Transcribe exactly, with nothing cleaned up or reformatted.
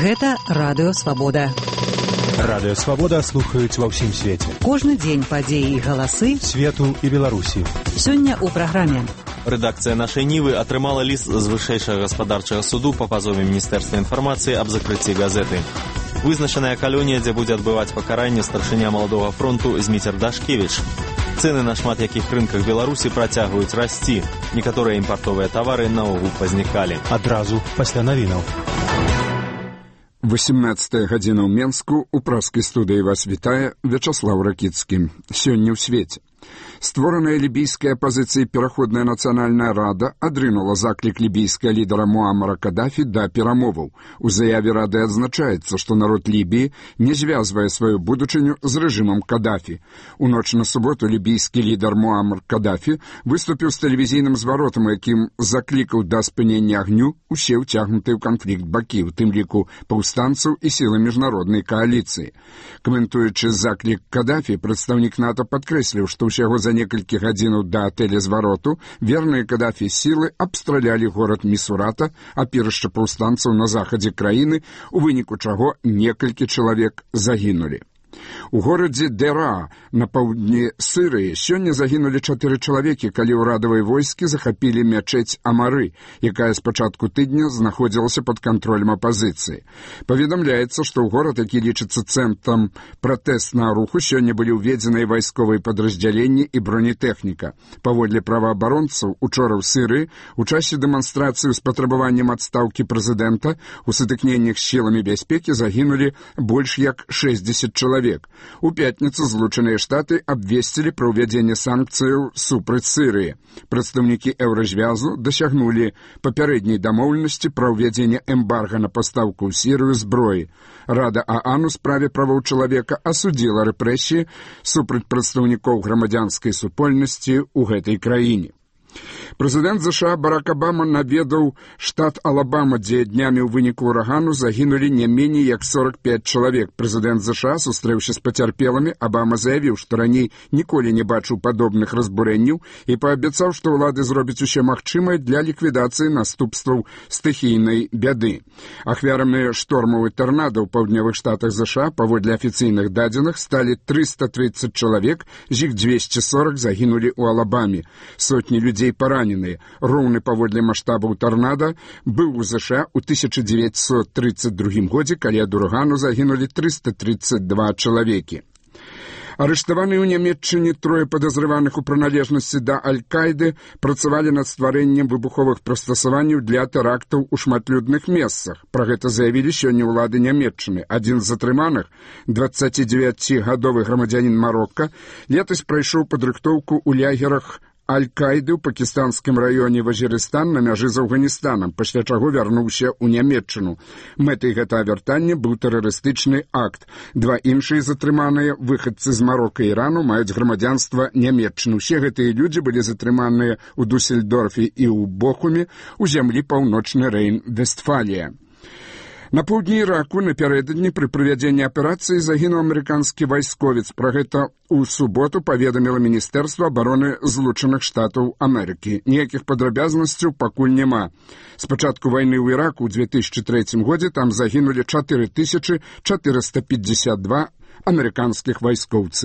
Гэта Радыё Свабода. Радыё Свабода слухаюць ва ўсім свеце. Кожны дзень падзеі і галасы свету і Беларусі. Сёння ў праграме. Рэдакцыя нашай Нівы атрымала ліст з вышэйшага гаспадарчага суду па пазове Міністэрства інфармацыі аб закрыцці газеты. Вызначаная калонія, дзе будзе адбываць пакаранне старшыня маладога фронту Зміцер Дашкевіч. Цэны на шмат якіх рынках Беларусі працягваюць расці. Некаторыя імпартовыя тавары наогул пазнікалі. Адразу пасля навінаў. восемнадцатая гадзіна ў Менску. У праскай студыі вас вітае Вячаслаў Ракіцкі. Сёння ў свеце. Створаная лібійская апазіцыя пераходная нацыянальная рада адрынула заклік лібійскага лідара Муаммара Кадафі да перамоваў. У заяве рады адзначаецца, што народ Лібіі не звязвае сваю будучыню з рэжымам Кадафі. У ноч на суботу лібійскі лідар Муаммар Кадафі выступіў з тэлевізійным зваротам, якім заклікаў да спынення агню усе ўцягнутыя ў канфлікт бакі, у тым ліку паўстанцаў і сілы міжнароднай кааліцыі. Каментуючы заклік Кадафі, прадстаўнік НАТО падкрэсліў, што ўсяго за некалькі гадзінаў да тэлезвароту верныя Кадафі сілы абстралялі горад Місурата, апірышча паўстанцаў на захадзе краіны, у выніку чаго некалькі чалавек загінулі. У горадзе Дера на паўдні Сырыі сёння загінулі чатыры чалавекі, калі ўрадавыя войскі захапілі мячэць Амары, якая з пачатку тыдня знаходзілася пад кантролем апазіцыі. Паведамляецца, што ў горад, які лічыцца цэнтрам пратэснага руху, сёння былі ўведзеныя вайсковыя падраздзяленні і бронетэхніка. Паводле праваабаронцаў, учора ў Сырыі у часе дэманстрацыі з патрабаваннем адстаўкі прэзідэнта у сутыкненнях з сіламі бяспекі загінулі больш як шэсцьдзесят чалавек. У пятніцу Злучаныя Штаты абвесцілі пра ўвядзенне санкцыяў супраць Сырыі. Прадстаўнікі еўразвязу дасягнулі папярэдняй дамоўленасці пра ўвядзенне эмбарга на пастаўку ў Сірыю зброі. Рада ААН у справе правоў чалавека асудзіла рэпрэсіі супраць прадстаўнікоў грамадзянскай супольнасці ў гэтай краіне. Прэзідэнт ЗША Барак Абама наведаў штат Алабама, дзе днямі ў выніку ўрагану загінулі не меней як сорок пять чалавек. Прэзідэнт ЗША, сустрэўся з пацярпелымі, Абама заявіў, што раней ніколі не бачыў падобных разбурэнняў і паабяцаў, што ўлады зробяць усё магчымае для ліквідацыі наступстваў стыхійнай бяды. Ахвярамі штормаў і тарнада ў паўднёвых штатах ЗША, паводле афіцыйных дадзеных, сталі трыста трыццаць чалавек, з іх двести сорок загінулі ў Алабаме. Сотні людзей параненыя. Роўны паводле маштабаў тарнада быў у ЗША ў тысяча дзевяцьсот трыццаць другім годзе, калі ад урагану загінулі трыста трыццаць два чалавекі. Арыштаваныя ў Нямецчыне трое падазрываных у прыналежнасці да Аль-Кайды працавалі над стварэннем выбуховых прыстасаванняў для тэрактаў у шматлюдных месцах. Пра гэта заявілі сёння ўлады Нямецчыны. Адзін з затрыманых, дваццацідзевяцігадовы грамадзянін Марокка, летась прайшоў падрыхтоўку ў лягерах Аль-Кайды ў пакістанскім раёне Вазірыстан на мяжы з Афганістанам, пасля чаго вярнуўся ў Нямецчыну. Мэтай гэтага вяртання быў тэрарыстычны акт. Два іншыя затрыманыя выхадцы з Марока і Ірану маюць грамадзянства Нямецчыны. Усе гэтыя людзі былі затрыманыя ў Дусельдорфе і ў Бохуме, у зямлі паўночны Рэйн-Вестфалія. На поўдні Іраку напярэдадні пры правядзенні аперацыі загінуў амерыканскі вайсковец. Пра гэта ў суботу паведаміла Міністэрства абароны Злучаных Штатаў Амерыкі. Ніякіх падрабязнасцяў пакуль няма. З пачатку вайны ў Іраку ў две тысячы трэцім годзе там загінулі чатыры тысячы чатырыста пятьдесят два амерыканскіх вайскоўцы.